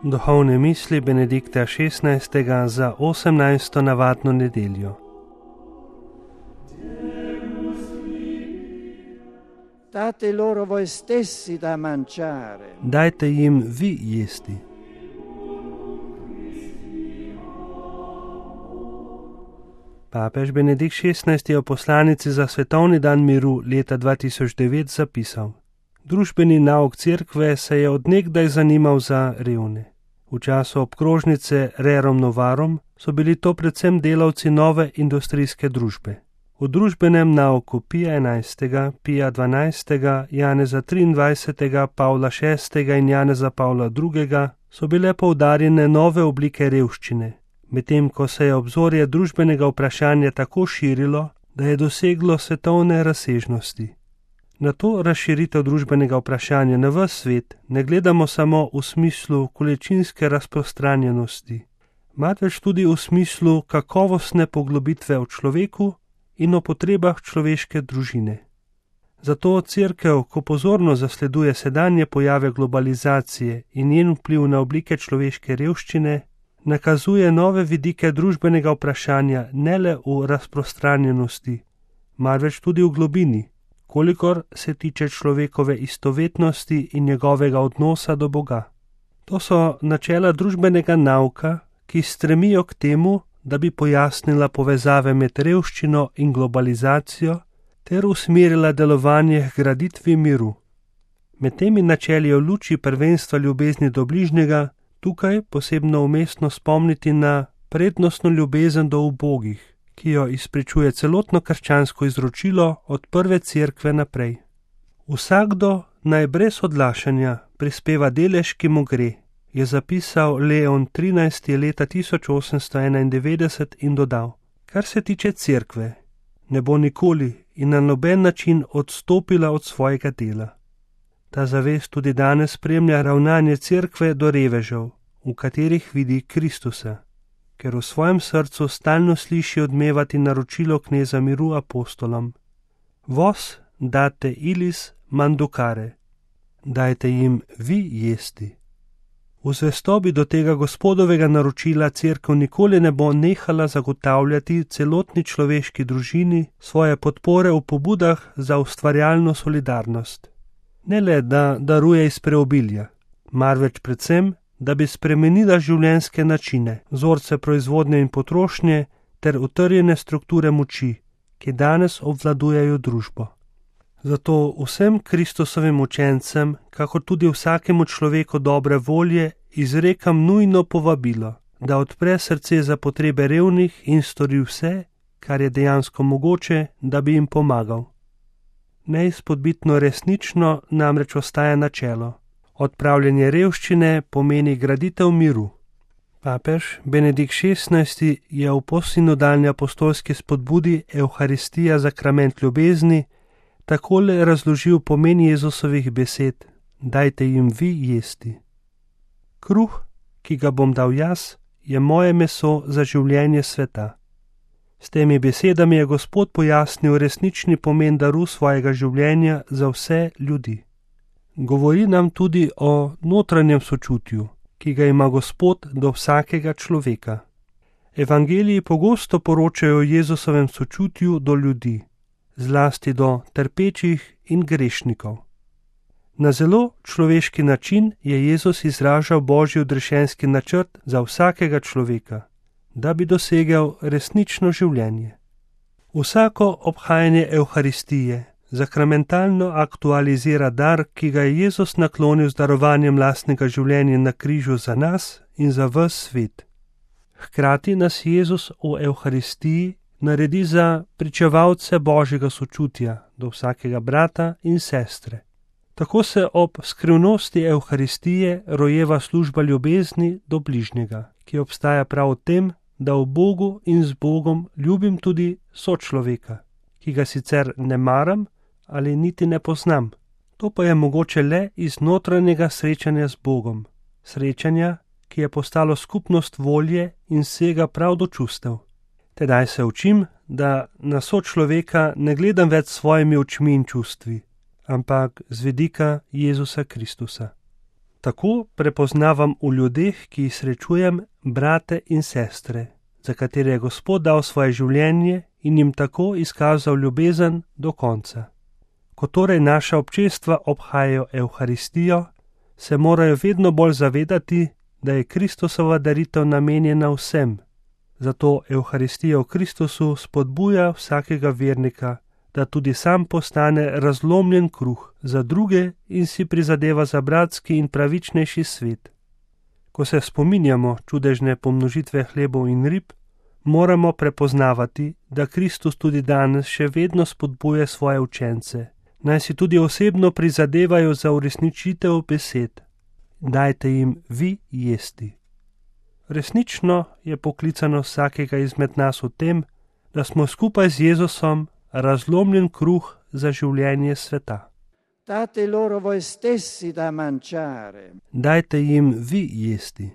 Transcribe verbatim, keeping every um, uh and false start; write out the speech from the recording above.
Duhovne misli Benedikta šestnajstega za osemnajsto navadno nedeljo. Date loro voi stessi da mangiare. Dajte jim vi jesti. Papež Benedikt šestnajsti je v poslanici za svetovni dan miru leta dva tisoč devet zapisal: Družbeni nauk cerkve se je od nekdaj zanimal za revne. V času obkrožnice Rerum Novarum so bili to predvsem delavci nove industrijske družbe. V družbenem nauku Pija enajstega, Pija dvanajstega, Janeza triindvajsetega, Pavla šestega in Janeza Pavla drugega so bile poudarjene nove oblike revščine, medtem ko se je obzorje družbenega vprašanja tako širilo, da je doseglo svetovne razsežnosti. Na to razširitev družbenega vprašanja na ves svet ne gledamo samo v smislu količinske razprostranjenosti, marveč tudi v smislu kakovostne poglobitve v človeku in o potrebah človeške družine. Zato cerkev, ko pozorno zasleduje sedanje pojave globalizacije in njen vpliv na oblike človeške revščine, nakazuje nove vidike družbenega vprašanja ne le v razprostranjenosti, marveč tudi v globini, kolikor se tiče človekove istovetnosti in njegovega odnosa do Boga. To so načela družbenega nauka, ki stremijo k temu, da bi pojasnila povezave med revščino in globalizacijo ter usmerila delovanje k graditvi miru. Med temi načeli je v luči prvenstva ljubezni do bližnjega tukaj posebno umestno spomniti na prednostno ljubezen do ubogih, ki jo izpričuje celotno krščansko izročilo od prve cerkve naprej. Vsakdo naj brez odlašanja prispeva delež, ki mu gre, je zapisal Leon trinajsti leta tisoč osemsto enaindevetdeset in dodal: Kar se tiče cerkve, ne bo nikoli in na noben način odstopila od svojega dela. Ta zavest tudi danes spremlja ravnanje cerkve do revežev, v katerih vidi Kristusa, ker v svojem srcu stalno sliši odmevati naročilo kneza miru apostolom: Vos date ilis mandukare, dajte jim vi jesti. V zvestobi do tega gospodovega naročila cerkev nikoli ne bo nehala zagotavljati celotni človeški družini svoje podpore v pobudah za ustvarjalno solidarnost. Ne le, da daruje iz preobilja, marveč predvsem, da bi spremenila življenjske načine, vzorce proizvodnje in potrošnje ter utrjene strukture moči, ki danes obvladujejo družbo. Zato vsem Kristusovim učencem, kakor tudi vsakemu človeku dobre volje, izrekam nujno povabilo, da odpre srce za potrebe revnih in stori vse, kar je dejansko mogoče, da bi jim pomagal. Neizpodbitno resnično namreč ostaja načelo: odpravljanje revščine pomeni graditev miru. Papež Benedikt šestnajsti je v postsinodalni apostolski spodbudi Evharistija zakrament ljubezni takole razložil pomen Jezusovih besed: Dajte jim vi jesti. Kruh, ki ga bom dal jaz, je moje meso za življenje sveta. S temi besedami je Gospod pojasnil resnični pomen daru svojega življenja za vse ljudi. Govori nam tudi o notranjem sočutju, ki ga ima Gospod do vsakega človeka. Evangeliji pogosto poročajo o Jezusovem sočutju do ljudi, zlasti do trpečih in grešnikov. Na zelo človeški način je Jezus izražal Božji odrešenski načrt za vsakega človeka, da bi dosegel resnično življenje. Vsako obhajanje Evharistije zakramentalno aktualizira dar, ki ga je Jezus naklonil z darovanjem lastnega življenja na križu za nas in za ves svet. Hkrati nas Jezus v Evharistiji naredi za pričevalce Božjega sočutja do vsakega brata in sestre. Tako se ob skrivnosti Evharistije rojeva služba ljubezni do bližnjega, ki obstaja prav v tem, da v Bogu in z Bogom ljubim tudi sočloveka, ki ga sicer ne maram ali niti ne poznam. To pa je mogoče le iz notranjega srečanja z Bogom, srečanja, ki je postalo skupnost volje in sega prav do čustev. Tedaj se učim, da na sočloveka ne gledam več s svojimi očmi in čustvi, ampak z vidika Jezusa Kristusa. Tako prepoznavam v ljudeh, ki jih srečujem, brate in sestre, za katere je Gospod dal svoje življenje in jim tako izkazal ljubezen do konca. Ko torej naša občestva obhajajo Evharistijo, se morajo vedno bolj zavedati, da je Kristusova daritev namenjena vsem. Zato Evharistija v Kristusu spodbuja vsakega vernika, da tudi sam postane razlomljen kruh za druge in si prizadeva za bratski in pravičnejši svet. Ko se spominjamo čudežne pomnožitve hlebov in rib, moramo prepoznavati, da Kristus tudi danes še vedno spodbuja svoje učence, naj si tudi osebno prizadevajo za uresničitev besed. Dajte jim vi jesti. Resnično je poklicano vsakega izmed nas v tem, da smo skupaj z Jezusom razlomljen kruh za življenje sveta. Date loro voi stessi da mangiare. Dajte jim vi jesti.